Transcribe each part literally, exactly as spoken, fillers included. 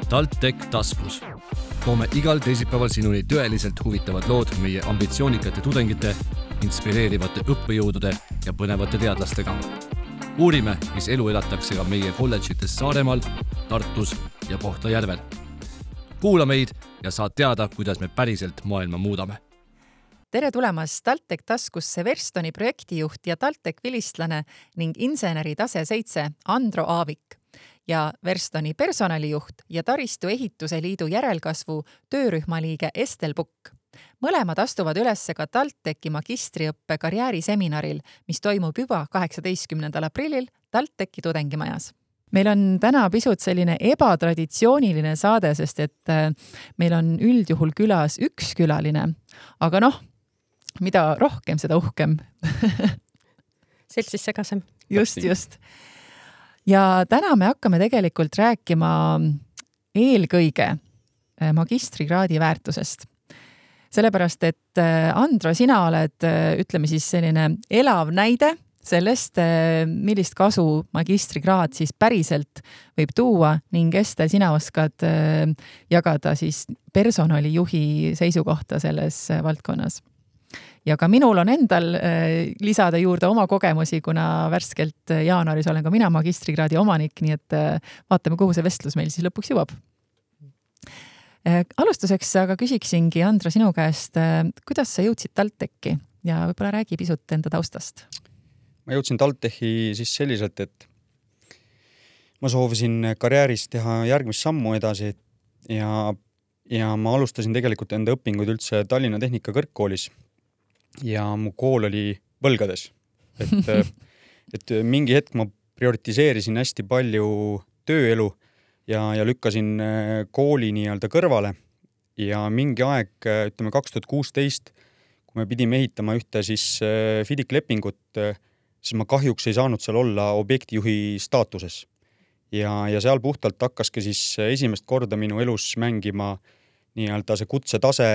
TalTech taskus. Toome igal teisipäeval sinuni tõeliselt huvitavad lood meie ambitsioonikate tudengite, inspireerivate õppejõudude ja põnevate teadlastega. Uurime, mis elu elatakse ka meie kolledžites Saaremaal, Tartus ja Kohtla-Järvel. Kuula meid ja saad teada, kuidas me päriselt maailma muudame. Tere tulemast TalTech taskusse Verstoni projektijuht ja TalTech vilistlane ning inseneri tase seitse Andro Aavik ja Verstoni personalijuht ja Taristu ehituse liidu järelkasvu töörühma liige Estel Pukk. Mõlemad astuvad ülesse ka TalTechi magistriõppe karjääriseminaril, mis toimub juba kaheksateistkümnendal aprillil TalTechi tudengimajas. Meil on täna pisut selline ebatraditsiooniline saade, sest et meil on üldjuhul külas üks külaline, aga noh, mida rohkem, seda uhkem. Seltsis segasem. Just, just. Ja täna me hakkame tegelikult rääkima eelkõige magistrikraadi väärtusest. Sellepärast, et Andro, sina oled, ütleme siis selline elav näide sellest, millist kasu magistrikraad siis päriselt võib tuua ning Estel, sina oskad jagada siis personalijuhi seisukohta selles valdkonnas. Ja ka minul on endal lisada juurde oma kogemusi, kuna värskelt jaanuaris olen ka mina magistrikraadi omanik, nii et vaatame, kuhu see vestlus meil siis lõpuks jõuab. Alustuseks aga küsiksingi, Andro, sinu käest, kuidas sa jõudsid TalTechi ja võib-olla räägi pisut enda taustast? Ma jõudsin TalTechi siis selliselt, et ma soovisin karjääris teha järgmist sammu edasi ja, ja ma alustasin tegelikult enda õpinguid üldse Tallinna Tehnika kõrgkoolis ja mu kool oli võlgades. Et, et mingi hetk ma prioritiseerisin hästi palju tööelu ja, ja lükkasin kooli nii-öelda kõrvale ja mingi aeg, ütleme kaks tuhat kuusteist, kui me pidime ehitama ühte siis FIDIC-lepingut, siis ma kahjuks ei saanud seal olla objektijuhi staatuses. Ja, ja seal puhtalt hakkaski siis esimest korda minu elus mängima nii-öelda see kutsetase,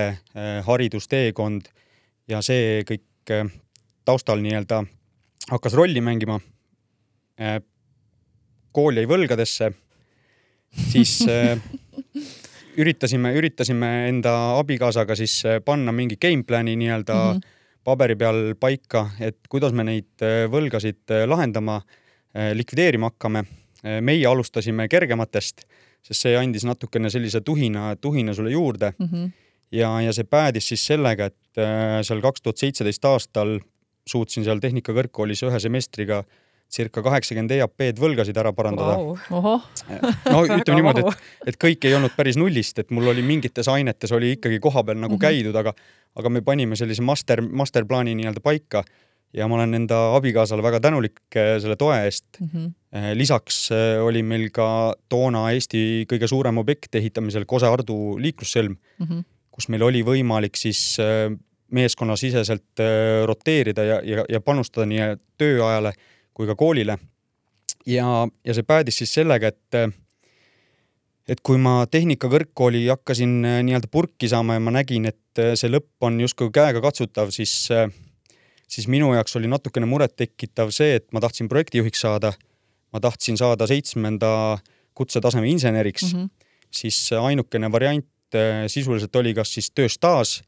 haridusteekond ja see kõik taustal nii-öelda hakkas rolli mängima. Kool jäi võlgadesse, siis üritasime, üritasime enda abikaasaga siis panna mingi gameplani nii-öelda mm-hmm. paberi peal paika, et kuidas me neid võlgasid lahendama, likvideerima hakkame. Meie alustasime kergematest, sest see andis natukene sellise tuhina, tuhina sulle juurde. Mm-hmm. Ja, ja see päädis siis sellega, et seal kaks tuhat seitseteist aastal suutsin seal tehnika kõrgkoolis ühe semestriga circa kaheksakümmend E A P-d võlgasid ära parandada. Wow. No ütleme niimoodi, et, et kõik ei olnud päris nullist, et mul oli mingites ainetes oli ikkagi koha peal nagu käidud, aga, aga me panime sellise master, masterplaani nii-öelda paika ja ma olen enda abikaasale väga tänulik selle toe eest. Mm-hmm. Lisaks oli meil ka toona Eesti kõige suurem objekt ehitamisel Kose-Ardu liiklussõlm, mm-hmm. kus meil oli võimalik siis meeskonna siseselt roteerida ja, ja, ja panustada nii tööajale kui ka koolile. Ja, ja see päädis siis sellega, et, et kui ma tehnika kõrgkooli hakkasin nii-öelda purki saama ja ma nägin, et see lõpp on justkui käega katsutav, siis, siis minu jaoks oli natukene muret tekitav see, et ma tahtsin projektijuhiks saada, ma tahtsin saada seitsmenda kutsetaseme inseneriks, mm-hmm. siis ainukene variant sisuliselt oli kas siis tööstaas,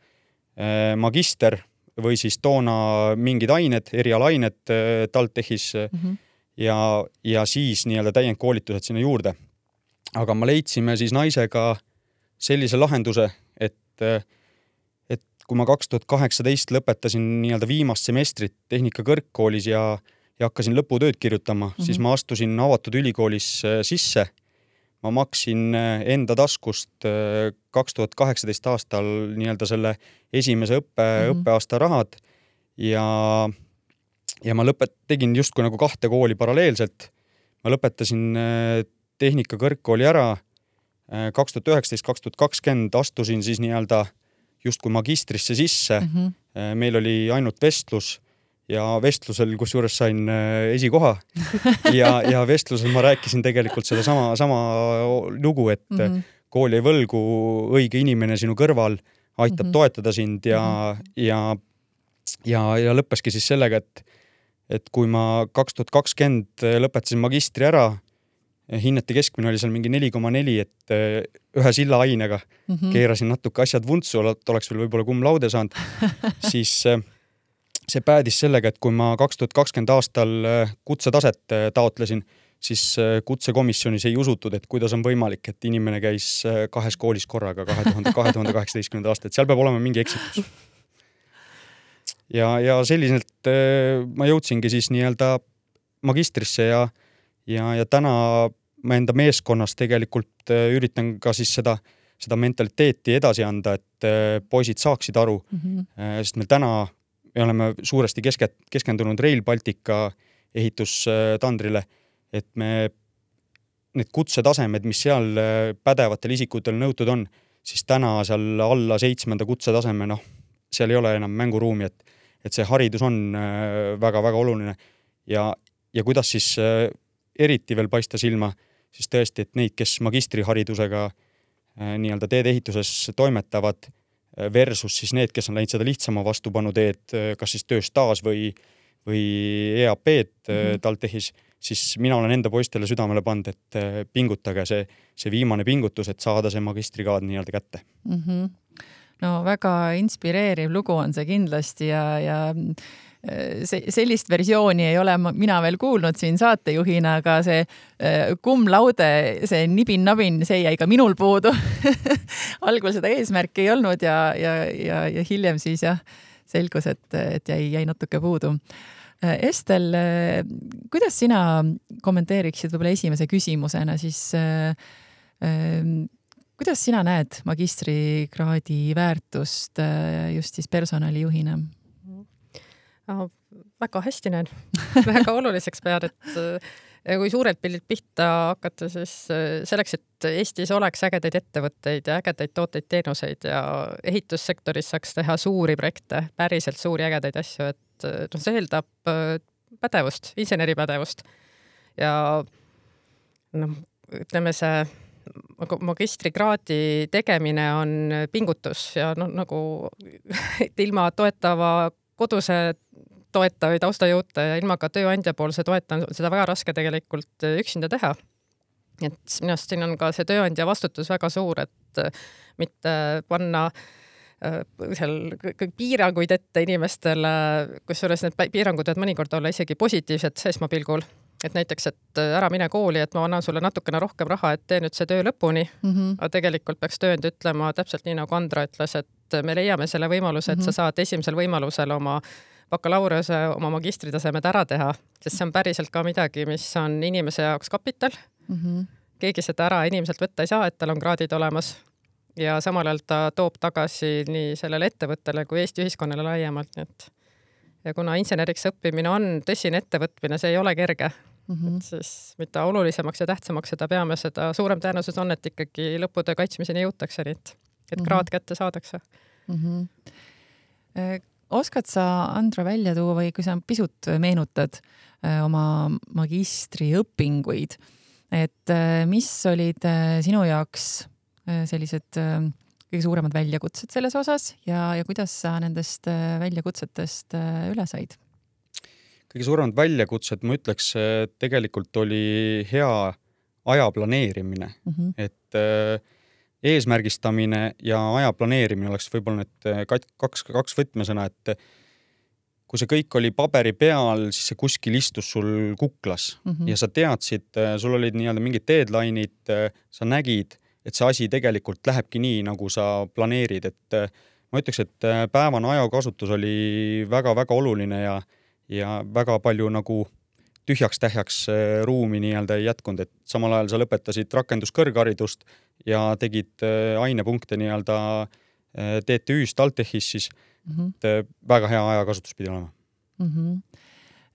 magister või siis toona mingid ained, erialained TalTechis mm-hmm. ja, ja siis nii-öelda täiendkoolitused sinna juurde. Aga ma leidsime siis naisega sellise lahenduse, et, et kui ma kaks tuhat kaheksateist lõpetasin nii-öelda viimast semestrit tehnika kõrgkoolis ja, ja hakkasin lõputööd kirjutama, mm-hmm. siis ma astusin avatud ülikoolis sisse. Ma maksin enda taskust kaks tuhat kaheksateist aastal nii-öelda selle esimese õppe, mm-hmm. õppeaasta rahad ja, ja ma lõpet, tegin justkui nagu kahte kooli paralleelselt. Ma lõpetasin tehnika kõrgkooli ära kaks tuhat üheksateist kaks tuhat kakskümmend astusin siis nii-öelda justkui magistrisse sisse. Mm-hmm. Meil oli ainult vestlus ja vestlusel, kus juures sain esikoha ja, ja vestlusel ma rääkisin tegelikult seda sama, sama lugu, et mm-hmm. kool ei võlgu, õige inimene sinu kõrval aitab mm-hmm. toetada sind ja, mm-hmm. ja, ja, ja lõppeski siis sellega, et, et kui ma kaks tuhat kakskümmend lõpetasin magistri ära, hinnete keskmine oli seal mingi neli koma neli, et ühe silla ainega mm -hmm. keerasin natuke asjad vuntsu, et oleks veel võib-olla cum laude saanud, siis see päädis sellega, et kui ma kaks tuhat kakskümmend aastal kutsetaset taotlesin, siis kutsekomisjonis ei usutud, et kuidas on võimalik, et inimene käis kahes koolis korraga kahe tuhande kaheksateistkümnenda aasta, et seal peab olema mingi eksitus. Ja, ja selliselt ma jõudsingi siis nii-öelda magistrisse ja, ja, ja täna ma enda meeskonnas tegelikult üritan ka siis seda, seda mentaliteeti edasi anda, et poisid saaksid aru, mm -hmm. sest meil täna me oleme suuresti keske, keskendunud Rail Baltica ehitustandrile, et me need kutsetasemed, mis seal pädevatel isikutel nõutud on, siis täna seal alla seitsmenda kutsetaseme, noh, seal ei ole enam mänguruumi, et, et see haridus on väga-väga oluline ja, ja kuidas siis eriti veel paista silma, siis tõesti, et neid, kes magistriharidusega nii-öelda teedeehituses toimetavad versus siis need, kes on läinud seda lihtsama vastupanu teed, kas siis tööstaaž või, või E A P-d mm-hmm. TalTechis, siis mina olen enda poistele südamele pannud, et pingutage see, see viimane pingutus, et saada see magistrikraad nii-öelda kätte. Mm-hmm. No väga inspireeriv lugu on see kindlasti ja, ja see, sellist versiooni ei ole mina veel kuulnud siin saatejuhina, aga see cum laude, see nibin-nabin, see jäi ka minul puudu. Algul seda eesmärki ei olnud ja, ja, ja, ja hiljem siis jah, selgus, et, et jäi, jäi natuke puudu. Estel, kuidas sina kommenteeriksid võib-olla esimese küsimusena siis kuidas sina näed magistrikraadi väärtust just siis personalijuhina? Oh, väga hästi näen. Väga oluliseks pead, et kui suurelt pildid pihta hakata, siis selleks, et Eestis oleks ägedaid ettevõtteid ja ägedaid tooteid, teenuseid ja ehitussektoris saaks teha suuri projekte, päriselt suuri ägedaid asju, et no, see eeldab pädevust, inseneripädevust. Ja no, ütleme see magistrikraadi tegemine on pingutus ja no, nagu ilma toetava koduse toeta või taustajõuta ja ilma ka tööandja poolse toeta on seda väga raske tegelikult üksinda teha. Et minust siin on ka see tööandja vastutus väga suur, et mitte panna seal piiranguid ette inimestele, kusjuures need piirangud võivad mõnikord olla isegi positiivsed seesmapilgul. Et näiteks, et ära mine kooli, et ma annan sulle natukene rohkem raha, et tee nüüd see töö lõpuni. Mm-hmm. Aga tegelikult peaks tööandja ütlema täpselt nii, nagu Andra ütles, et me leiame selle võimaluse, et mm-hmm. sa saad esimesel võimalusel oma bakalaureuse, oma magistritasemed ära teha, sest see on päriselt ka midagi, mis on inimese jaoks kapital. Mm-hmm. Keegi seda ära inimeselt võtta ei saa, et tal on kraadid olemas ja samal ajal ta toob tagasi nii sellele ettevõttele kui Eesti ühiskonnale laiemalt. Et ja kuna inseneriks õppimine on tõsine ettevõtmine, see ei ole kerge, mm-hmm. siis mida olulisemaks ja tähtsamaks seda peame, seda suurem tõenäosus on, et ikkagi lõputöö kaitsmiseni jõutakse, et, et kraad kätte saadakse. Mm-hmm. Oskad sa, Andra, välja tuua või kui sa pisut meenutad oma magistriõpinguid, et mis olid sinu jaoks sellised kõige suuremad väljakutsed selles osas ja, ja kuidas sa nendest väljakutsetest üle said? Kõige suuremad väljakutsed, ma ütleks, tegelikult oli hea aja planeerimine. Mm-hmm. Et eesmärgistamine ja aja planeerimine oleks võib-olla need kaks, kaks võtmesõna, et kui see kõik oli paberi peal, siis see kuskil istus sul kuklas mm-hmm. ja sa teadsid, sul olid nii-öelda mingid deadline'id, sa nägid, et see asi tegelikult lähebki nii, nagu sa planeerid, et ma ütleks, et päevane ajakasutus oli väga-väga oluline ja, ja väga palju nagu tühjaks-tähjaks ruumi nii-öelda ei jätkunud, et samal ajal sa lõpetasid rakenduskõrgharidust ja tegid ainepunkte nii-öelda T T Ü-s TalTechis, siis mm-hmm. väga hea ajakasutus pidi olema. Mm-hmm.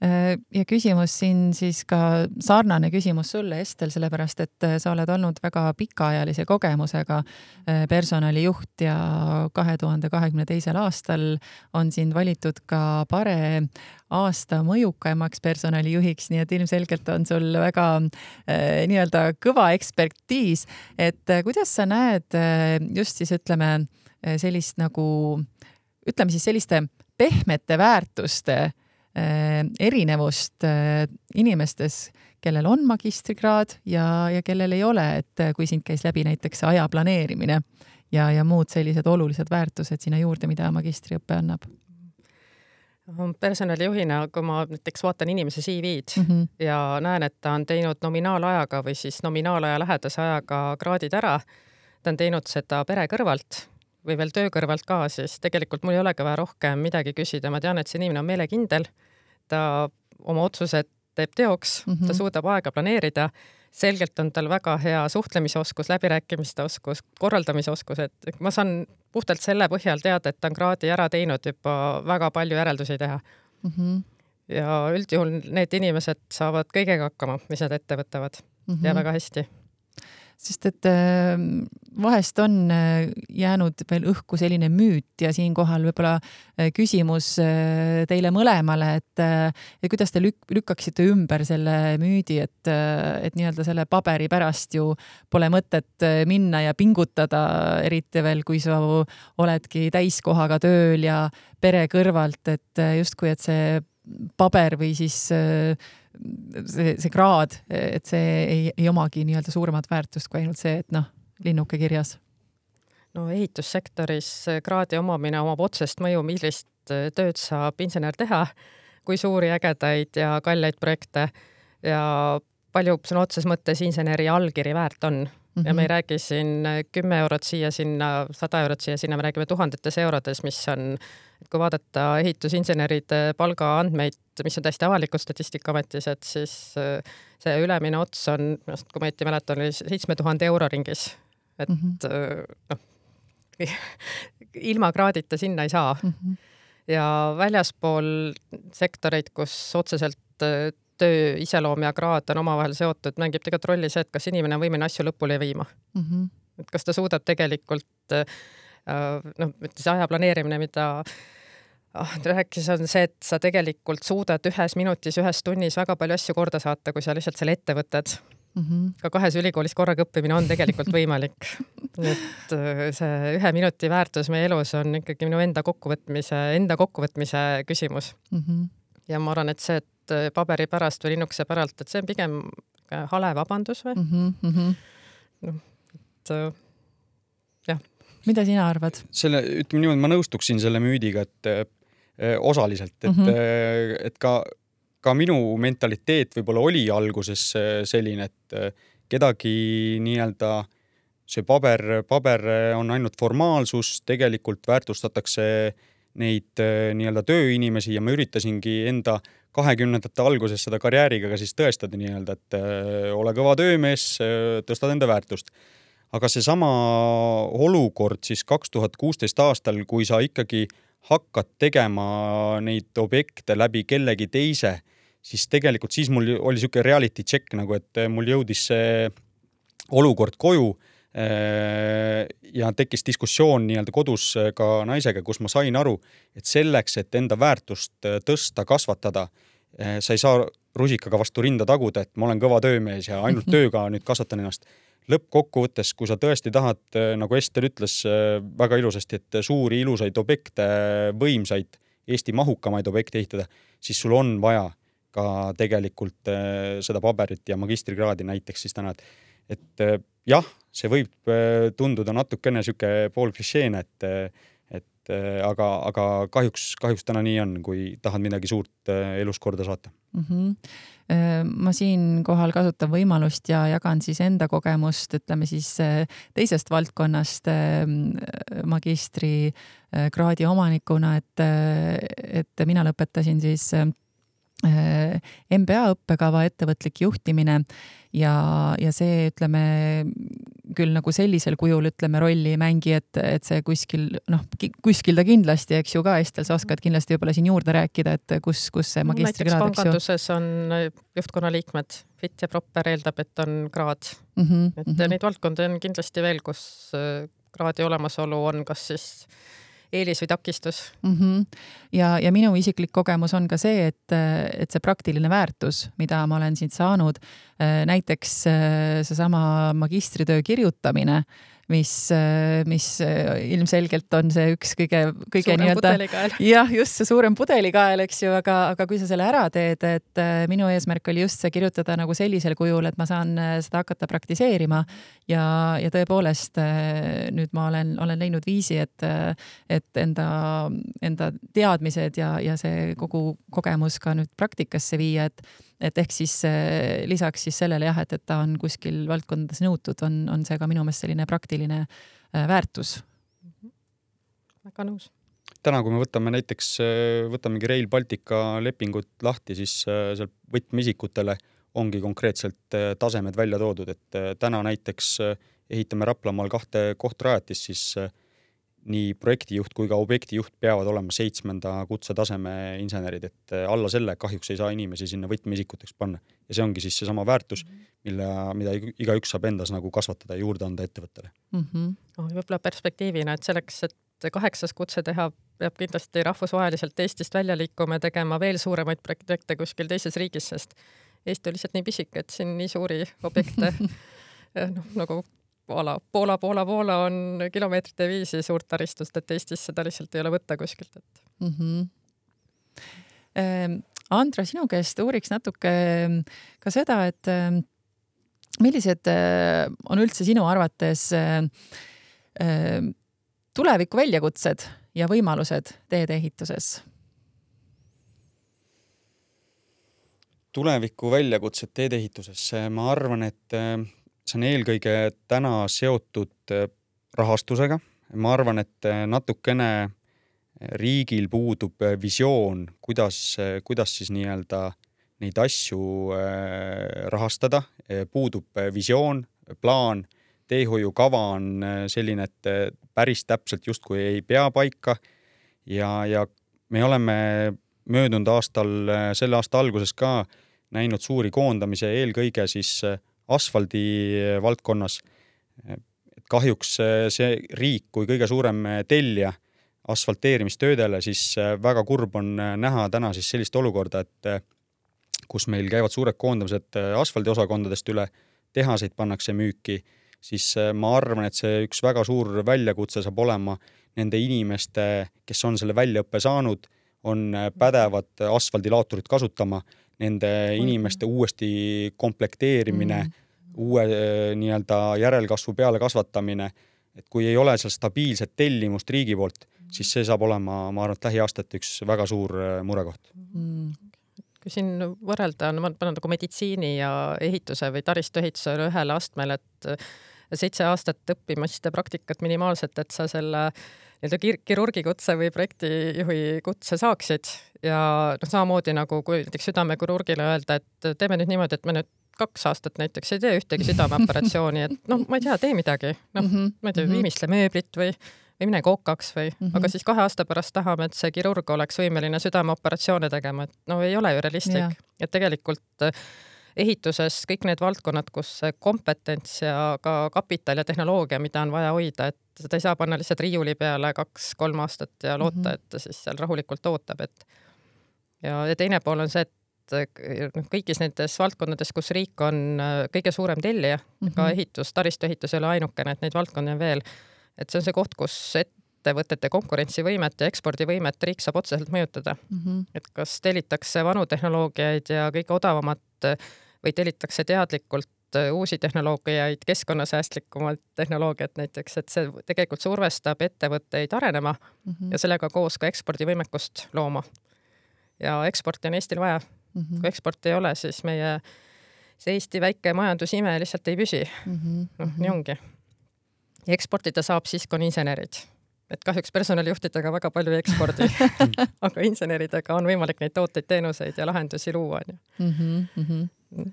Ja küsimus siin siis ka sarnane küsimus sulle, Estel, sellepärast, et sa oled olnud väga pikaajalise kogemusega personalijuht ja kahe tuhande kahekümne teisel aastal on sind valitud ka pare aasta mõjukaimaks personalijuhiks, nii et ilmselgelt on sul väga eh, nii-öelda kõva ekspertiis, et kuidas sa näed just siis ütleme sellist nagu, ütleme siis selliste pehmete väärtuste erinevust inimestes, kellel on magistrikraad ja, ja kellel ei ole, et kui sind käis läbi näiteks aja planeerimine ja, ja muud sellised olulised väärtused sinna juurde, mida magistriõpe annab? Personalijuhina, kui ma näiteks vaatan inimese C V-d mm -hmm. ja näen, et ta on teinud nominaalajaga või siis nominaalaja lähedase ajaga kraadid ära, ta on teinud seda pere kõrvalt või veel töö kõrvalt ka, siis tegelikult mul ei olegi vaja rohkem midagi küsida. Ma tean, et see inimene on meelekindel, ta oma otsused teeb teoks, mm -hmm. ta suudab aega planeerida, selgelt on tal väga hea suhtlemisoskus, läbirääkimiste oskus, korraldamise oskus, et ma saan puhtalt selle põhjal teada, et ta on kraadi ära teinud juba väga palju järeldusi teha. Mm -hmm. Ja üldjuhul need inimesed saavad kõigega hakkama, mis nad ette võtavad mm -hmm. ja väga hästi. Sest et vahest on jäänud veel õhku selline müüt ja siinkohal võib-olla küsimus teile mõlemale, et, et kuidas te lük- lükkaksite ümber selle müüdi, et, et nii-öelda selle paberi pärast ju pole mõtet minna ja pingutada, eriti veel, kui sa oledki täiskohaga tööl ja pere kõrvalt, et justkui, et see paber või siis see, see kraad, et see ei, ei omagi nii-öelda suuremat väärtust kui ainult see, et noh, linnuke kirjas. No ehitussektoris kraadi omamine omab otsest mõju, millist tööd saab insener teha, kui suuri ägedaid ja kalleid projekte ja palju sõna otses mõttes inseneri allkiri väärt on. Mm-hmm. Ja me ei räägi siin kümme eurot siia sinna, sada eurot siia sinna, me räägime tuhandetes eurodes, mis on, kui vaadata ehitusinseneride palgaandmeid, mis on täiesti avalikud Statistikaametis, et siis see ülemine ots on, kui ma ette mäletan, oli seitsme tuhande euro ringis. Et mm-hmm. noh, ilma kraadita sinna ei saa. Mm-hmm. Ja väljaspool sektoreid, kus otseselt töö iseloom ja kraad on omavahel seotud, mängib tegelikult rolli see, et kas inimene on võimeline asju lõpule viima. Mm-hmm. Et kas ta suudab tegelikult, noh, see aja planeerimine, mida oh, rääkis, on see, et sa tegelikult suudad ühes minutis, ühes tunnis väga palju asju korda saata, kui sa lihtsalt selle ette võtad. Mm-hmm. Ka kahes ülikoolis korraga õppimine on tegelikult võimalik. Et see ühe minuti väärtus meie elus on ikkagi minu enda kokkuvõtmise, enda kokkuvõtmise küsimus. Mm-hmm. Ja ma arvan, et see, et paberi pärast või linnukese päralt, et see on pigem hale vabandus või? Mm-hmm. No, et jah. Mida sina arvad? Selle, ütleme niimoodi, ma nõustuksin selle müüdiga, et äh, osaliselt, et, mm-hmm. äh, et ka, ka minu mentaliteet võib-olla oli alguses selline, et äh, kedagi nii-öelda see paber, paber on ainult formaalsus, tegelikult väärtustatakse neid nii-öelda tööinimesi ja ma üritasingi enda kahekümnendate alguses seda karjääriga ka siis tõestada nii-öelda, et ole kõva töömees, tõstad enda väärtust. Aga see sama olukord siis kaks tuhat kuusteist aastal, kui sa ikkagi hakkad tegema neid objekte läbi kellegi teise, siis tegelikult siis mul oli siuke reality check nagu, et mul jõudis see olukord koju ja tekkis diskussioon nii-öelda kodus ka naisega, kus ma sain aru, et selleks, et enda väärtust tõsta, kasvatada, sa ei saa rusikaga vastu rinda taguda, et ma olen kõva töömees ja ainult tööga nüüd kasvatan ennast. Lõppkokkuvõttes, kui sa tõesti tahad, nagu Ester ütles väga ilusasti, et suuri ilusaid objekte, võimsaid, Eesti mahukamaid objekte ehitada, siis sul on vaja ka tegelikult seda paberit ja magistrikraadi näiteks siis täna, et, et jah, see võib tunduda natukene siuke pool klišeene, et, et aga, aga kahjuks, kahjuks täna nii on, kui tahad midagi suurt elus korda saata. Mm-hmm. Ma siin kohal kasutan võimalust ja jagan siis enda kogemust, ütleme siis teisest valdkonnast magistrikraadi omanikuna, et, et mina lõpetasin siis M B A õppekava ettevõtlik juhtimine ja, ja see, ütleme, küll nagu sellisel kujul, ütleme, rolli ei mängi, et, et see kuskil, noh, kuskil ta kindlasti, eks ju ka, Estel, sa oskad kindlasti võib-olla siin juurde rääkida, et kus, kus see magistrikraad, eks ju? Panganduses on juhtkonna liikmed, fit ja proper eeldab, et on kraad. Mm-hmm, et mm-hmm. neid valdkondi on kindlasti veel, kus kraadi olemasolu on kas siis eelis või takistus. Mm-hmm. Ja, ja minu isiklik kogemus on ka see, et, et see praktiline väärtus, mida ma olen siit saanud, näiteks seesama magistritöö kirjutamine, mis, mis ilmselgelt on see üks kõige, kõige suurem nii-öelda, pudelikael. jah, just see suurem pudelikael, eks ju, aga, aga kui sa selle ära teed, et minu eesmärk oli just see kirjutada nagu sellisel kujul, et ma saan seda hakata praktiseerima ja, ja tõepoolest nüüd ma olen, olen leidnud viisi, et, et enda, enda teadmised ja, ja see kogu kogemus ka nüüd praktikasse viia, et, et ehk siis lisaks siis sellele jah, et, et ta on kuskil valdkondades nõutud, on, on see ka minu meelest selline praktiline väärtus. Väga nõus. Täna, kui me võtame näiteks, võtamegi Rail Baltica lepingut lahti, siis seal võtmeisikutele ongi konkreetselt tasemed välja toodud, et täna näiteks ehitame Raplamaal kahte kohtrajatist, siis nii projektijuht kui ka objektijuht peavad olema seitsmenda kutsetaseme insenerid, et alla selle kahjuks ei saa inimesi sinna võtmeisikuteks panna. Ja see ongi siis see sama väärtus, mille, mida iga üks saab endas nagu kasvatada ja juurde anda ettevõttele. Mm -hmm. oh, võib-olla perspektiivina, et selleks, et kaheksas kutse teha, peab kindlasti rahvusvaheliselt Eestist välja liikuma ja tegema veel suuremaid projekte kuskil teises riigis, sest Eesti on lihtsalt nii pisik, et siin nii suuri objekte noh, nagu Poola, Poola, Poola, Poola on kilomeetrite viisi suurt taristust, et Eestis seda lihtsalt ei ole võtta kuskilt. Et... Mm -hmm. Andra, sinu käest uuriks natuke ka seda, et millised on üldse sinu arvates tuleviku väljakutsed ja võimalused teedeehituses? Tuleviku väljakutsed teedeehituses, ma arvan, et see on eelkõige täna seotud rahastusega. Ma arvan, et natukene riigil puudub visioon, kuidas, kuidas siis nii-öelda neid asju rahastada. Puudub visioon, plaan, teehoiukava on selline, et päris täpselt justkui ei pea paika. Ja, ja me oleme möödunud aastal, selle aasta alguses ka näinud suuri koondamise eelkõige siis asfaldi valdkonnas. Kahjuks see riik kui kõige suurem tellija asfalteerimistöödele, siis väga kurb on näha täna siis sellist olukorda, et kus meil käivad suured koondamised asfaldiosakondadest üle, tehaseid pannakse müüki, siis ma arvan, et see üks väga suur väljakutse saab olema nende inimeste, kes on selle väljaõppe saanud, on pädevad asfaldilaaturit kasutama, nende inimeste uuesti komplekteerimine, mm. uue nii-öelda järelkasvu peale kasvatamine, et kui ei ole seal stabiilset tellimust riigi poolt, siis see saab olema, ma arvan, et lähiaastat üks väga suur murekoht. Mm. Kui siin võrrelda, no ma panen nagu meditsiini ja ehituse või taristuehituse ühele astmele, et seitse aastat õppimast ja praktikat minimaalselt, et sa selle kirurgi kutse või projektijuhi kutse saaksid ja no, samamoodi nagu kui näiteks südamekirurgile öelda, et teeme nüüd niimoodi, et me nüüd kaks aastat näiteks ei tee ühtegi südameoperatsiooni, et noh, ma ei tea, tee midagi, noh, mm -hmm. ma ei tea, viimistle mööblit või, või mine kookaks või, mm -hmm. aga siis kahe aasta pärast tahame, et see kirurg oleks võimeline südameoperatsioone tegema, et no ei ole ju realistlik, et tegelikult ehituses kõik need valdkonnad, kus kompetents ja ka kapital ja tehnoloogia, mida on vaja hoida, et seda ei saa panna lihtsalt riiuli peale kaks-kolm aastat ja loota, mm -hmm. et ta siis seal rahulikult ootab, et ja, ja teine pool on see, et kõigis nendes valdkondades, kus riik on kõige suurem tellija, mm -hmm. ka ehitus, taristuehitus ei ole ainukene, et neid valdkondi on veel, et see on see koht, kus ettevõtete konkurentsivõimet ja ekspordivõimet riik saab otseselt mõjutada. Mm -hmm. Et kas tellitakse vanu tehnoloogiaid ja kõige odavamat või tellitakse teadlikult uusi tehnoloogiaid, keskkonnasäästlikumalt tehnoloogiat näiteks, et see tegelikult survestab ettevõtteid arenema mm -hmm. ja sellega koos ka ekspordivõimekust looma. Ja eksporti on Eestil vaja. Mm -hmm. Kui eksport ei ole, siis meie see Eesti väike majandusime lihtsalt ei püsi. Mm -hmm. noh, nii ongi. Ja eksportida saab siis, kui on insenerid. Et kahjuks personalijuhtidega väga palju ei ekspordi, aga inseneridega on võimalik neid tooteid, teenuseid ja lahendusi luua. Mm -hmm, mm -hmm.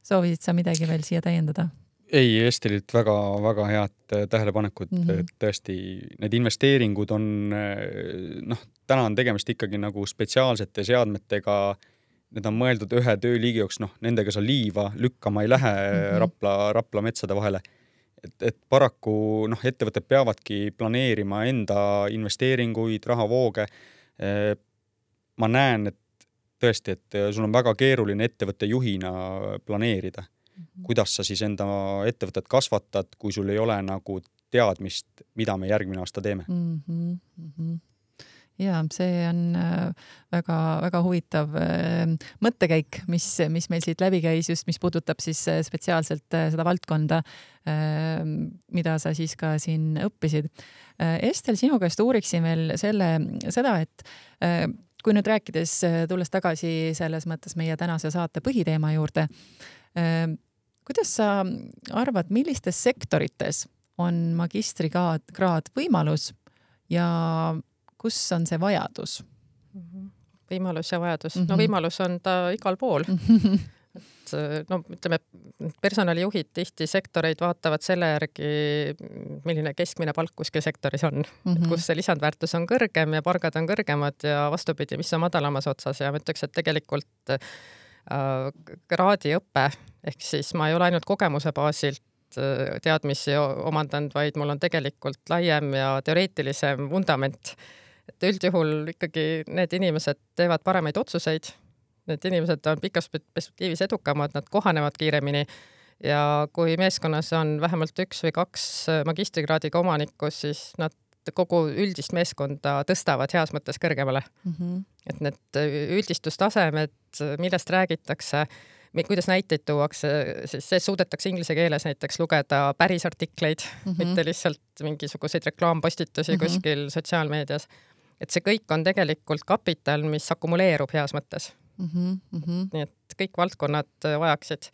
Soovisid sa midagi veel siia täiendada? Ei, Estelilt väga, väga head tähelepanekud, mm -hmm. et tõesti need investeeringud on, noh, täna on tegemist ikkagi nagu spetsiaalsete seadmetega, need on mõeldud ühe tööliigi jooksul, noh, nendega sa liiva lükkama ei lähe mm -hmm. Rapla, Rapla metsade vahele. Et, et paraku noh, ettevõtted peavadki planeerima enda investeeringuid, rahavooge. Ma näen, et tõesti, et sul on väga keeruline ettevõtte juhina planeerida. kuidas sa siis enda ettevõtet kasvatad, kui sul ei ole nagu teadmist, mida me järgmine aasta teeme. Mm-hmm, mm-hmm. Ja see on väga, väga huvitav mõttekäik, mis, mis meil siit läbi käis, just mis puudutab siis spetsiaalselt seda valdkonda, mida sa siis ka siin õppisid. Estel, sinu käest uuriksin veel selle, seda, et kui nüüd rääkides, tulles tagasi selles mõttes meie tänase saate põhiteema juurde, kuidas sa arvad, millistes sektorites on magistrikraad võimalus ja kus on see vajadus? Võimalus ja vajadus. Mm-hmm. No võimalus on ta igal pool. Et, no, ütleme, personalijuhid tihti sektoreid vaatavad selle järgi, milline keskmine palk kuskil sektoris on. Mm-hmm. Et kus see lisandväärtus on kõrgem ja palgad on kõrgemad ja vastupidi, mis on madalamas otsas. Ja ma ütleks, et tegelikult äh, kraadiõpe, ehk siis ma ei ole ainult kogemuse baasilt teadmisi omandanud, vaid mul on tegelikult laiem ja teoreetilisem vundament. Et üldjuhul ikkagi need inimesed teevad paremaid otsuseid, need inimesed on pikas perspektiivis edukamad, nad kohanevad kiiremini ja kui meeskonnas on vähemalt üks või kaks magistrikraadiga omanikus, siis nad kogu üldist meeskonda tõstavad heas mõttes kõrgemale. Mm-hmm. Et need üldistustasemed, millest räägitakse, kuidas näiteid tuuakse, siis see suudetakse inglise keeles näiteks lugeda päris artikleid, mm-hmm. mitte lihtsalt mingisuguseid reklaampostitusi mm-hmm. kuskil sotsiaalmeedias. Et see kõik on tegelikult kapital, mis akumuleerub heas mõttes. Mm-hmm. Nii et kõik valdkonnad vajaksid.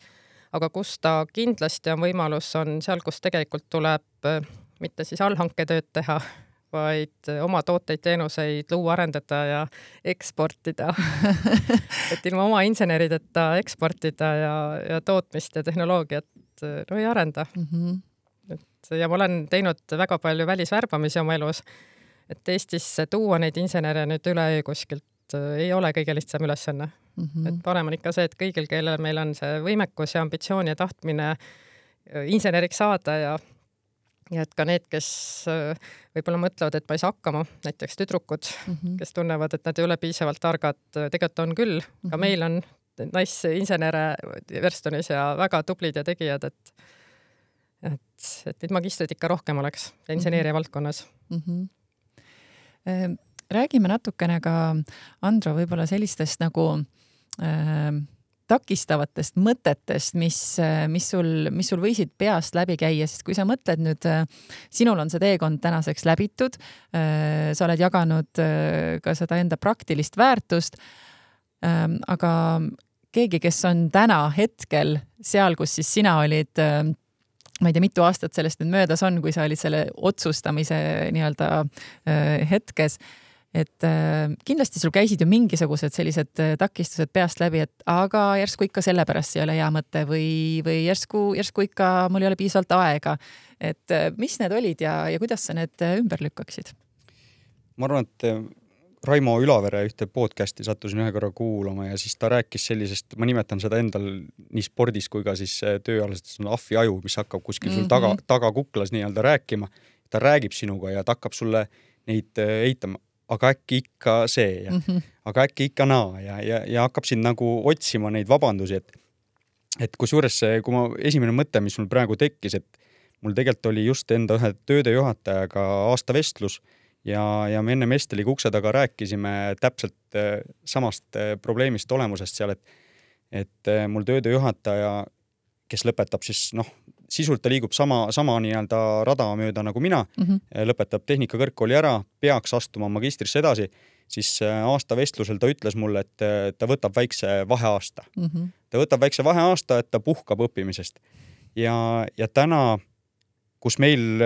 Aga kus ta kindlasti on võimalus, on seal, kus tegelikult tuleb mitte siis allhanketööd teha, vaid oma tooteid, teenuseid luua, arendada ja eksportida. Et ilma oma insenerideta eksportida ja, ja tootmist ja tehnoloogiat no ei arenda. Mm-hmm. Et, ja ma olen teinud väga palju välisvärbamisi oma elus, et Eestisse tuua neid insenere nüüd üle kuskilt ei ole kõige lihtsam ülesanne. Mm-hmm. Et parem on ikka see, et kõigil, kellel meil on see võimekus ja ambitsioon ja tahtmine inseneriks saada ja ja et ka need, kes võib-olla mõtlevad, et ma ei saa hakkama, näiteks tüdrukud, mm-hmm. kes tunnevad, et nad ei ole piisavalt targad, tegelikult on küll. Ka mm-hmm. meil on naisinsenere Verstonis ja väga tublid ja tegijad, et, et, et neid magistrid ikka rohkem oleks inseneeria mm-hmm. valdkonnas. Mm-hmm. Räägime natukene ka, Andro, võib-olla sellistest nagu äh, takistavatest mõtetest, mis, mis, sul, mis sul võisid peast läbi käia, sest kui sa mõtled nüüd, sinul on see teekond tänaseks läbitud, sa oled jaganud ka seda enda praktilist väärtust, aga keegi, kes on täna hetkel seal, kus siis sina olid, ma ei tea, mitu aastat sellest nüüd möödas on, kui sa olid selle otsustamise nii-öelda hetkes, et äh, kindlasti sul käisid ju mingisugused sellised takistused peast läbi, et aga järsku ikka sellepärast ei ole hea mõte või, või järsku, järsku ikka mul ei ole piisavalt aega. Et äh, mis need olid ja, ja kuidas sa need ümber lükkaksid? Ma arvan, et Raimo Ülavere ühte podcasti sattusin ühe korra kuulama ja siis ta rääkis sellisest, ma nimetan seda endal nii spordis kui ka siis tööalasest ahvi aju, mis hakkab kuskil sul taga, taga kuklas nii-öelda rääkima. Ta räägib sinuga ja ta hakkab sulle neid eitama. Aga äkki ikka see ja mm-hmm. aga äkki ikka naa ja, ja, ja hakkab siin nagu otsima neid vabandusi, et, et kusjuures see, kui ma esimene mõte, mis mul praegu tekkis, et mul tegelikult oli just enda ühe töödejuhatajaga aasta vestlus ja, ja me enne Esteliga ukse taga rääkisime täpselt samast probleemist olemusest seal, et, et mul töödejuhataja, kes lõpetab siis, noh, sisult ta liigub sama, sama nii-öelda rada mööda nagu mina, mm-hmm. lõpetab tehnikakõrgkooli ära, peaks astuma magistrisse edasi, siis aasta vestlusel ta ütles mulle, et ta võtab väikse vaheaasta. Mm-hmm. Ta võtab väikse vaheaasta, et ta puhkab õppimisest. Ja, ja täna, kus meil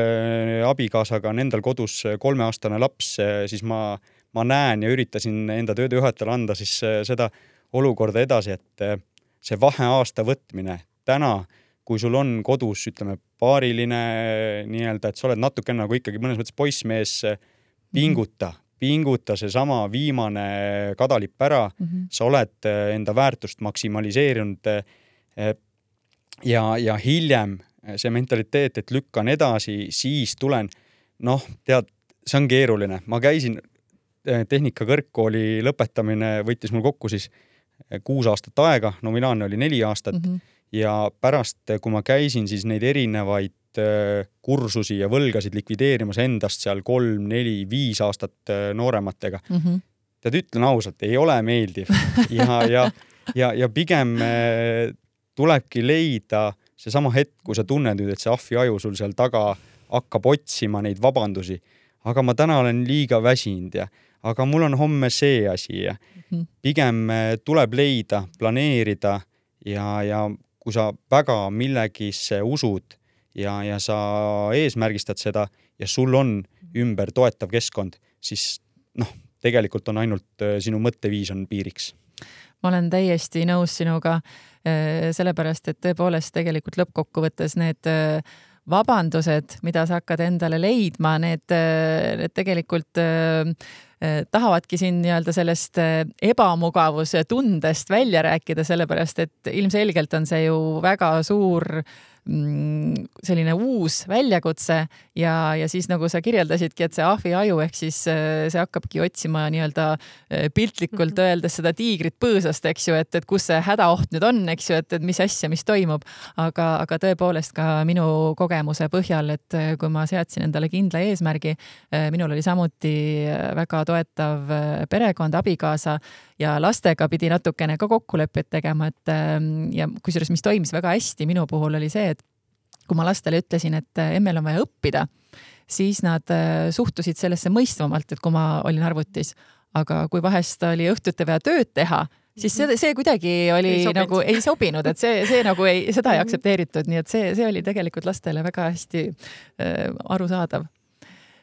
abikaasaga on endal kodus kolmeaastane laps, siis ma, ma näen ja üritasin enda töödejuhatajale anda siis seda olukorda edasi, et see vaheaasta võtmine täna, kui sul on kodus, ütleme, paariline nii-öelda, et sa oled natuke nagu ikkagi mõnes mõttes poissmees, pinguta, pinguta see sama viimane kadalipp ära, mm-hmm. sa oled enda väärtust maksimaliseerinud ja, ja hiljem see mentaliteet, et lükkan edasi, siis tulen, noh, tead, see on keeruline. Ma käisin tehnikakõrgkooli lõpetamine, võttis mul kokku siis kuus aastat aega, nominaalne oli neli aastat mm-hmm. ja pärast, kui ma käisin siis neid erinevaid kursusi ja võlgasid likvideerimas endast seal kolm, neli, viis aastat noorematega. Mm -hmm. Tead, ütlen ausalt, ei ole meeldiv ja, ja, ja, ja pigem tulebki leida seesama hetk, kui sa tunned nüüd, et see ahvi aju sul seal taga hakkab otsima neid vabandusi, aga ma täna olen liiga väsinud ja aga mul on homme see asi ja pigem tuleb leida, planeerida ja, ja kui sa väga millegisse usud ja, ja sa eesmärgistad seda ja sul on ümber toetav keskkond, siis noh, tegelikult on ainult sinu mõtteviis on piiriks. Ma olen täiesti nõus sinuga, sellepärast, et tõepoolest tegelikult lõppkokkuvõttes need vabandused, mida sa hakkad endale leidma, need, need tegelikult tahavadki siin nii-öelda sellest ebamugavuse tundest välja rääkida, sellepärast, et ilmselgelt on see ju väga suur selline uus väljakutse ja, ja siis nagu sa kirjeldasidki, et see ahvi aju ehk siis see hakkabki otsima nii-öelda piltlikult öeldes seda tiigrit põõsast, eks ju, et, et kus see hädaoht nüüd on, eks ju, et, et mis asja, mis toimub. Aga, aga tõepoolest ka minu kogemuse põhjal, et kui ma seadsin endale kindla eesmärgi, minul oli samuti väga toetav perekond, abikaasa ja lastega pidi natukene ka kokkuleppeid tegema, et ja kusjuures, mis toimis väga hästi minu puhul oli see, et kui ma lastele ütlesin, et emmel on vaja õppida, siis nad suhtusid sellesse mõistvamalt, et kui ma olin arvutis, aga kui vahest oli õhtuti vaja tööd teha, siis see, see kuidagi oli ei nagu ei sobinud, et see, see nagu ei, seda ei aktsepteeritud, nii et see, see oli tegelikult lastele väga hästi äh, arusaadav.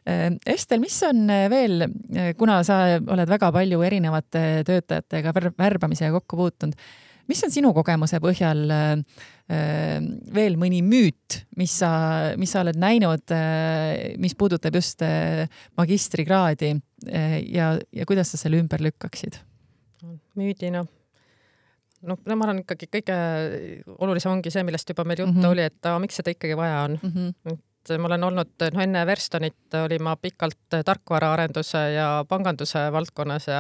Estel, mis on veel, kuna sa oled väga palju erinevate töötajatega värbamisega kokku puutunud, mis on sinu kogemuse põhjal veel mõni müüt, mis sa, mis sa oled näinud, mis puudutab just magistrikraadi ja, ja kuidas sa selle ümber lükkaksid? Müüdina. No, ma arvan ikkagi kõige olulisem ongi see, millest juba meil juttu mm -hmm. oli, et a, miks seda ikkagi vaja on. Mm -hmm. Ma olen olnud, no enne Verstonit oli ma pikalt tarkvaraarenduse ja panganduse valdkonnas ja,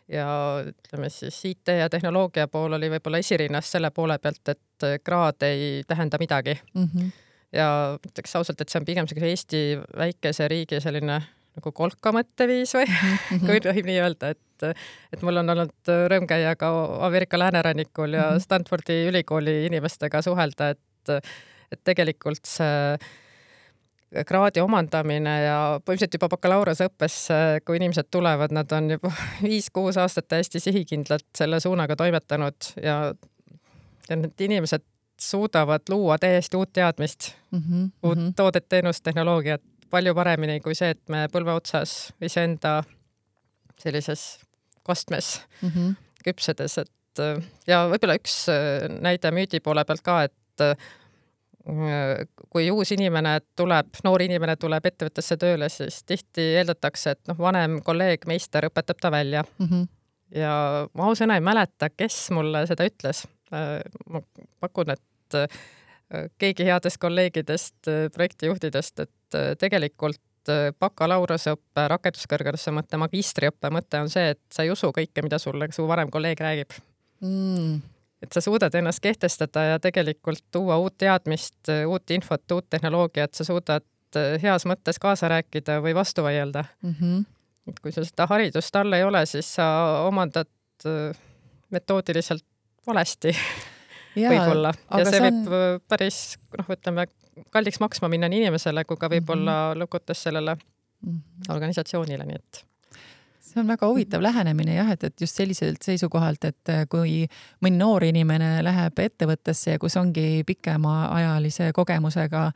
ja ütleme siis I T ja tehnoloogia pool oli võib-olla esirinnas selle poole pealt, et kraad ei tähenda midagi. Mm -hmm. Ja ütleks ausalt, et see on pigem Eesti väikese riigi selline nagu kolka mõtteviis või mm -hmm. kui tohib nii öelda, et, et mul on olnud rõõm käia ka Ameerika läänerannikul ja mm -hmm. Stanfordi ülikooli inimestega suhelda, et, et tegelikult see kraadi omandamine ja põhimõtteliselt juba bakalaureuseõppes, kui inimesed tulevad, nad on juba viis-kuus aastat täiesti sihikindlalt selle suunaga toimetanud ja, ja need inimesed suudavad luua täiesti uut teadmist, mm -hmm. uut toodet, teenust, tehnoloogiat palju paremini kui see, et me põlve otsas iseenda sellises kastmes mm -hmm. küpsedes. Et, ja võib-olla üks näide müüdi poole pealt ka, et kui uus inimene tuleb, noor inimene tuleb ettevõttesse tööle, siis tihti eeldatakse, et noh, vanem kolleeg, meister õpetab ta välja. Mm -hmm. Ja ma ausõna ei mäleta, kes mulle seda ütles. Ma pakun, et keegi headest kolleegidest, projektijuhtidest, et tegelikult bakalaureusõppe, rakenduskõrghariduse mõte, magistriõppe mõte on see, et sa ei usu kõike, mida sulle su vanem kolleeg räägib. Mm. Et sa suudad ennast kehtestada ja tegelikult tuua uut teadmist, uut infot, uut tehnoloogiat, sa suudad heas mõttes kaasa rääkida või vastu vaielda. Mm -hmm. Et kui sul seda haridust all ei ole, siis sa omandad metoodiliselt valesti võib-olla. Ja see on... võib päris, noh, ütleme, kalliks maksma minna nii inimesele, kui ka võib-olla mm -hmm. lõkutes sellele mm -hmm. organisatsioonile, nii et see on väga huvitav lähenemine jah, et, et just selliselt seisukohalt, et kui mõni noor inimene läheb ettevõttesse ja kus ongi pikemaajalise kogemusega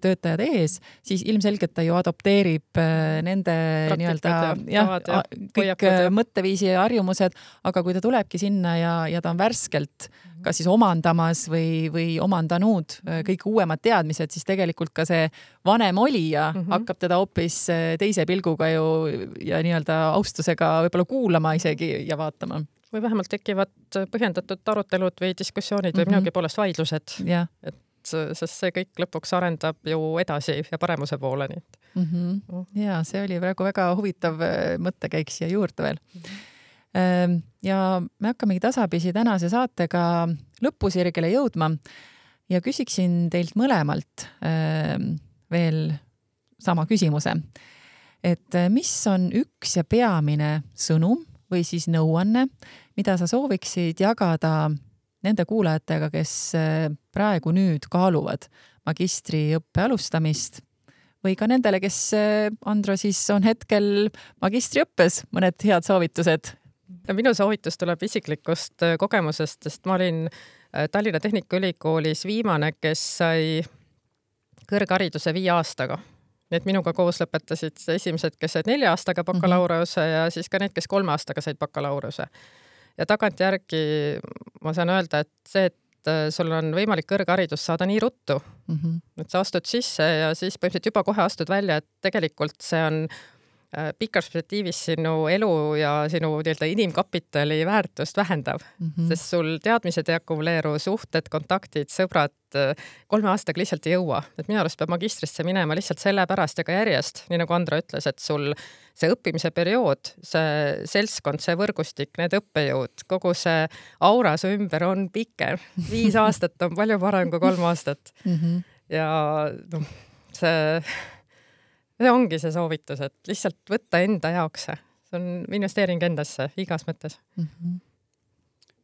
töötajad ees, siis ilmselgelt ta ju adopteerib nende nii-öelda ja, ja, kõik ja. mõtteviisi ja harjumused, aga kui ta tulebki sinna ja, ja ta on värskelt kas siis omandamas või, või omandanud kõik uuemad teadmised, siis tegelikult ka see vanem olija mm -hmm. hakkab teda hoopis teise pilguga ju ja nii-öelda austusega võib-olla kuulama isegi ja vaatama. Või vähemalt tekivad põhjendatud arutelud või diskussioonid või mm -hmm. minugi poolest vaidlused. Yeah. Et, sest see kõik lõpuks arendab ju edasi ja paremuse poole. Nii. Mm -hmm. mm. Ja see oli praegu väga huvitav mõttekäik siia juurde veel. Mm -hmm. Ja me hakkamegi tasapisi tänase saatega lõpusirgele jõudma ja küsiksin teilt mõlemalt veel sama küsimuse. Et mis on üks ja peamine sõnum või siis nõuanne, mida sa sooviksid jagada nende kuulajatega, kes praegu nüüd kaaluvad magistriõppe alustamist või ka nendele, kes, Andro, siis on hetkel magistriõppes, mõned head soovitused? No, minu soovitus tuleb isiklikust kogemusest, sest ma olin Tallinna Tehnikaülikoolis viimane, kes sai kõrghariduse viie aastaga. Need minuga koos lõpetasid esimesed, kes said nelja aastaga bakalaureuse ja siis ka need, kes kolme aastaga said bakalaureuse. Ja tagantjärgi ma saan öelda, et see, et sul on võimalik kõrgharidus saada nii ruttu, mm-hmm. et sa astud sisse ja siis põhimõtteliselt juba kohe astud välja, et tegelikult see on pikas perspektiivis sinu elu ja sinu nii-öelda inimkapitali väärtust vähendav, mm-hmm. sest sul teadmised ei akumuleeru, suhted, kontaktid, sõbrad kolme aastaga lihtsalt ei jõua. Et minu arust peab magistrisse minema lihtsalt selle pärast ja ka järjest, nii nagu Andro ütles, et sul see õppimise periood, see seltskond, see võrgustik, need õppejõud, kogu see aura su ümber on pikem. Viis aastat on palju parem kui kolm aastat. Mm-hmm. Ja no, see, see ongi see soovitus, et lihtsalt võtta enda jaoks. See on investeering endasse igas mõttes. Mm-hmm.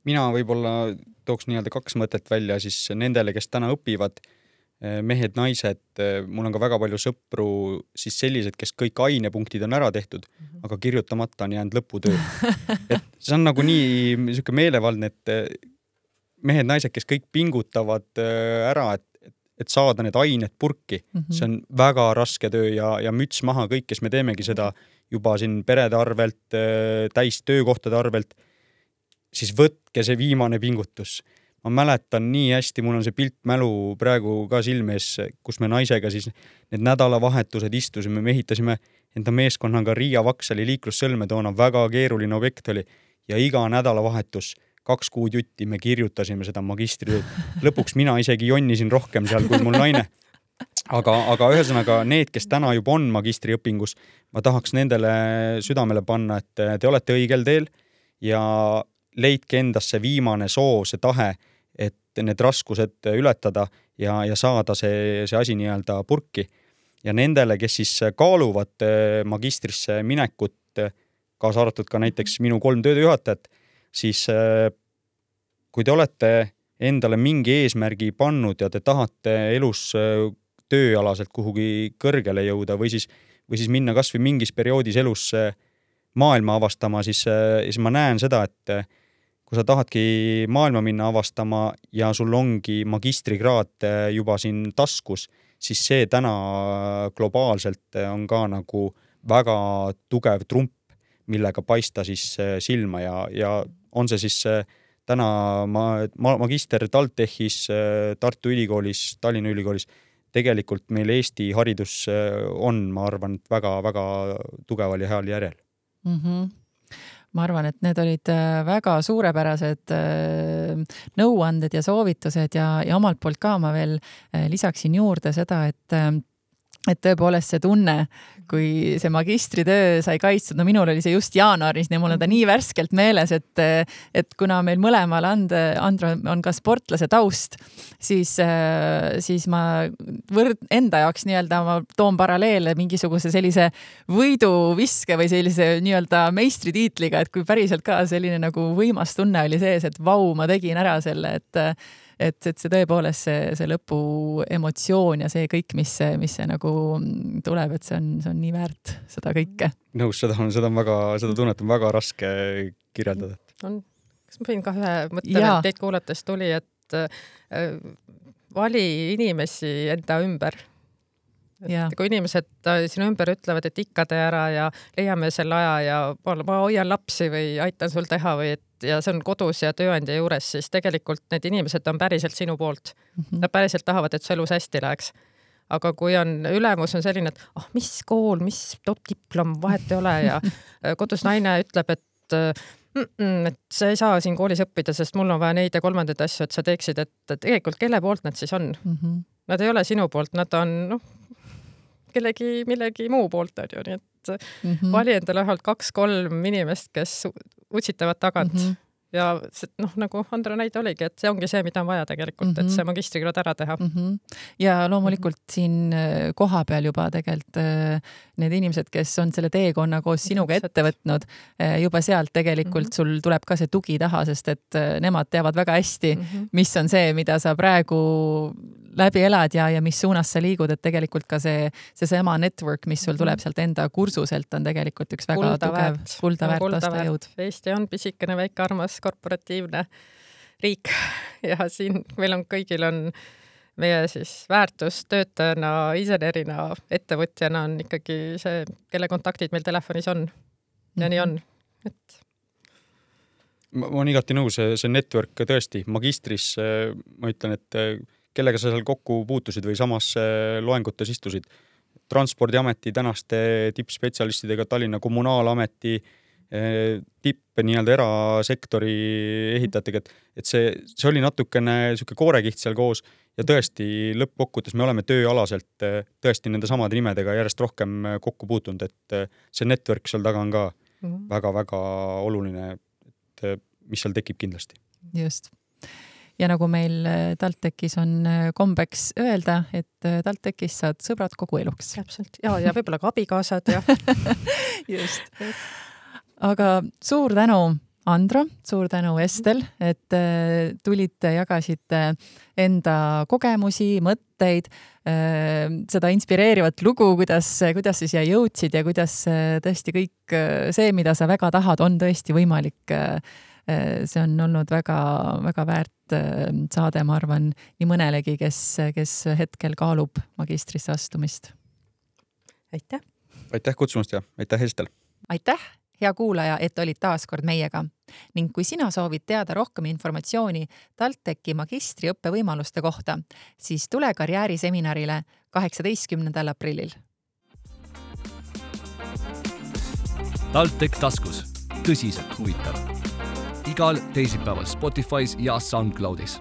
Mina võib-olla tooks nii-öelda kaks mõtet välja siis nendele, kes täna õpivad, mehed, naised, mul on ka väga palju sõpru siis sellised, kes kõik ainepunktid on ära tehtud, mm-hmm. aga kirjutamata on jäänud lõputöö. Et see on nagu nii niisugune meelevaldne, et mehed, naised, kes kõik pingutavad ära, et, et saada need ained purki. Mm-hmm. See on väga raske töö ja, ja müts maha kõik, kes me teemegi seda juba siin perede arvelt, täis töökohtade arvelt, siis võtke see viimane pingutus. Ma mäletan nii hästi, mul on see pilt mälu praegu ka silmes, kus me naisega siis need nädalavahetused istusime, me ehitasime enda meeskonnaga Riia Vaksali liiklussõlme, toona väga keeruline objekt oli ja iga nädalavahetus kaks kuud jutti me kirjutasime seda magistritööd. Lõpuks mina isegi jonnisin rohkem seal kui mul naine. Aga, aga ühesõnaga need, kes täna juba on magistriõpingus, ma tahaks nendele südamele panna, et te olete õigel teel ja leidke endasse viimane soov, see tahe, et need raskused ületada ja, ja saada see, see asi nii-öelda purki. Ja nendele, kes siis kaaluvad magistrisse minekut, kaasa arvatud ka näiteks minu kolm töödejuhatajat, siis kui te olete endale mingi eesmärgi pannud ja te tahate elus tööalaselt kuhugi kõrgele jõuda või siis, või siis minna kas või mingis perioodis elus maailma avastama, siis, siis ma näen seda, et kui sa tahadki maailma minna avastama ja sul ongi magistrikraad juba siin taskus, siis see täna globaalselt on ka nagu väga tugev trump, millega paista siis silma ja, ja on see siis täna ma, magister TalTechis, Tartu Ülikoolis, Tallinna Ülikoolis, tegelikult meil Eesti haridus on, ma arvan, väga-väga tugeval ja heal järjel. Mm-hmm. Ma arvan, et need olid väga suurepärased nõuanded ja soovitused ja, ja omalt poolt ka ma veel lisaksin juurde seda, et et tõepoolest see tunne, kui see magistritöö sai kaitstud, no minul oli see just jaanuaris, nii mul on ta nii värskelt meeles, et, et kuna meil mõlemal and, Andro on ka sportlase taust, siis, siis ma võrd, enda jaoks nii-öelda ma toon paralleele mingisuguse sellise võiduviske või sellise nii-öelda meistritiitliga, et kui päriselt ka selline nagu võimas tunne oli sees, et vau, ma tegin ära selle, et Et, et see tõepoolest see, see lõpu emotsioon ja see kõik, mis, mis see nagu tuleb, et see on, see on nii väärt seda kõike. Nõus, seda on, seda on väga, seda tunnet on väga raske kirjeldada. On, kas ma võin ka ühe mõtte teid kuulates tuli, et äh, vali inimesi enda ümber. Et kui inimesed sinu ümber ütlevad, et ikka tee ära ja leiame selle aja ja ma hoian lapsi või aitan sul teha või et ja see on kodus ja tööandja juures, siis tegelikult need inimesed on päriselt sinu poolt. Mm-hmm. Nad päriselt tahavad, et su elus hästi läheks. Aga kui on ülemus on selline, et ah, mis kool, mis top diplom, vahet ei ole ja kodus naine ütleb, et, mm, et sa ei saa siin koolis õppida, sest mul on vaja neid ja kolmandaid asju, et sa teeksid, et tegelikult kelle poolt nad siis on? Mm-hmm. Nad ei ole sinu poolt, nad on noh, kellegi millegi muu poolt on ju, nii et mm-hmm. vali endale vähemalt kaks-kolm inimest, kes utsitavad tagant mm-hmm. ja see, noh, nagu Andra näide oligi, et see ongi see, mida on vaja tegelikult, mm -hmm. et see magistrikraad ära teha. Mm -hmm. Ja loomulikult mm -hmm. siin koha peal juba tegelikult need inimesed, kes on selle teekonna koos sinuga ette võtnud, juba sealt tegelikult mm -hmm. sul tuleb ka see tugi taha, sest et nemad teavad väga hästi, mm -hmm. mis on see, mida sa praegu läbi elad ja, ja mis suunas sa liigud, et tegelikult ka see, see sama network, mis sul tuleb sealt enda kursuselt, on tegelikult üks väga kulda tugev väärt. kulda väärt aastajõud. Eesti on pisikene, väike, armas, korporatiivne riik ja siin meil on kõigil on meie siis väärtus töötajana, insenerina, ettevõtjana on ikkagi see, kelle kontaktid meil telefonis on. Ja mm-hmm. nii on. Et... Ma olen igati nõus, see network tõesti magistris, ma ütlen, et kellega sa seal kokku puutusid või samas loengutes istusid. Transpordiameti tänaste tippspetsialistidega, Tallinna Kommunaalameti tipp nii-öelda erasektori ehitajatega, et, et see, see oli natukene siuke koorekiht seal koos ja tõesti lõppkokkutes me oleme tööalaselt tõesti nende samade nimedega järjest rohkem kokku puutunud, et see network seal taga on ka väga-väga mm-hmm. oluline, et mis seal tekib kindlasti. Just. Ja nagu meil TalTechis on kombeks öelda, et TalTechis saad sõbrad kogu eluks. Täpselt. Ja, ja võib-olla ka abikaasad. Ja. Just. Aga suur tänu, Andra, suur tänu, Estel, et tulite, jagasite enda kogemusi, mõtteid, seda inspireerivat lugu, kuidas, kuidas sa siia jõudsid ja kuidas tõesti kõik see, mida sa väga tahad, on tõesti võimalik. See on olnud väga, väga väärt saade, ma arvan, nii mõnelegi, kes, kes hetkel kaalub magistrisse astumist. Aitäh! Aitäh kutsumast ja aitäh, Estel! Aitäh, hea kuulaja, et olid taas kord meiega. Ning kui sina soovid teada rohkem informatsiooni TalTechi magistriõppe võimaluste kohta, siis tule karjääriseminarile kaheksateistkümnendal aprillil. TalTech taskus. Tõsiselt huvitav. Igal teisipäeval Spotify's ja SoundCloudis.